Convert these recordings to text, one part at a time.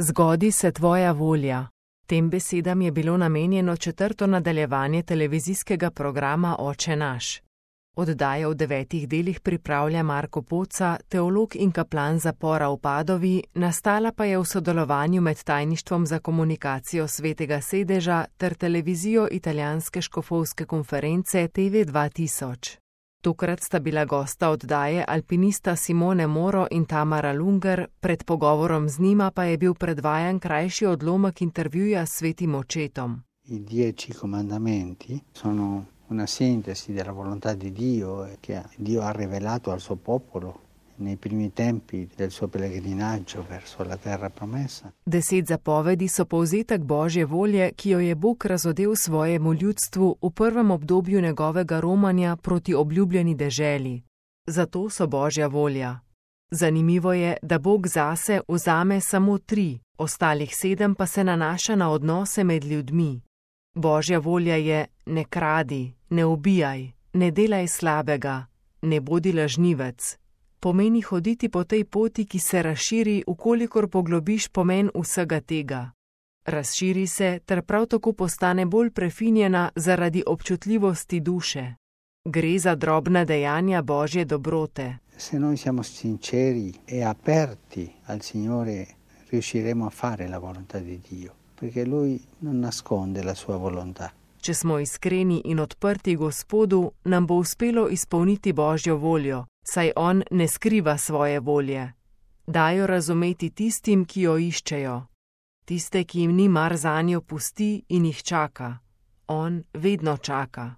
Zgodi se tvoja volja. Tem besedam je bilo namenjeno 4. nadaljevanje televizijskega programa Oče naš. Oddajo v 9 delih pripravlja Marko Poca, teolog in kaplan zapora v Padovi, nastala pa je v sodelovanju med Tajništvom za komunikacijo Svetega sedeža ter televizijo italijanske škofovske konference TV 2000. Tokrat sta bila gosta oddaje alpinista Simone Moro in Tamara Lunger, pred pogovorom z njima pa je bil predvajan krajši odlomek intervjuja s svetim očetom. I 10 comandamenti sono una sintesi della volontà di Dio che Dio ha rivelato al suo popolo nei primi tempi del suo pellegrinaggio verso la terra promessa. 10 zapovedi so povzetek Božje volje, ki jo je Bog razodel svojemu ljudstvu v prvem obdobju njegovega romanja proti obljubljeni deželi. Zato so Božja volja. Zanimivo je, da Bog zase vzame samo 3, ostalih 7 pa se nanaša na odnose med ljudmi. Božja volja je: ne kradi, ne ubijaj, ne delaj slabega, ne bodi lažnivec. Pomeni hoditi po tej poti, ki se razširi, ukolikor poglobiš pomen vsega tega. Razširi se ter prav tako postane bolj prefinjena zaradi občutljivosti duše. Gre za drobna dejanja Božje dobrote. Se noi siamo sinceri e aperti al Signore, riusciremo a fare la volontà di Dio, perché Lui non nasconde la sua volontà. Če smo iskreni in odprti Gospodu, nam bo uspelo izpolniti Božjo voljo, saj On ne skriva svoje volje. Dajo razumeti tistim, ki jo iščejo. Tiste, ki jim ni mar zanjo, pusti in jih čaka. On vedno čaka.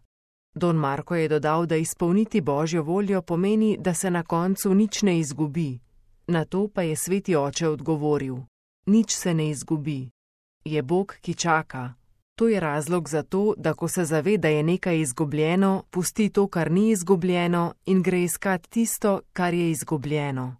Don Marko je dodal, da izpolniti Božjo voljo pomeni, da se na koncu nič ne izgubi. Na to pa je sveti oče odgovoril: nič se ne izgubi. Je Bog, ki čaka. To je razlog za to, da ko se zave, da je nekaj izgubljeno, pusti to, kar ni izgubljeno, in gre iskat tisto, kar je izgubljeno.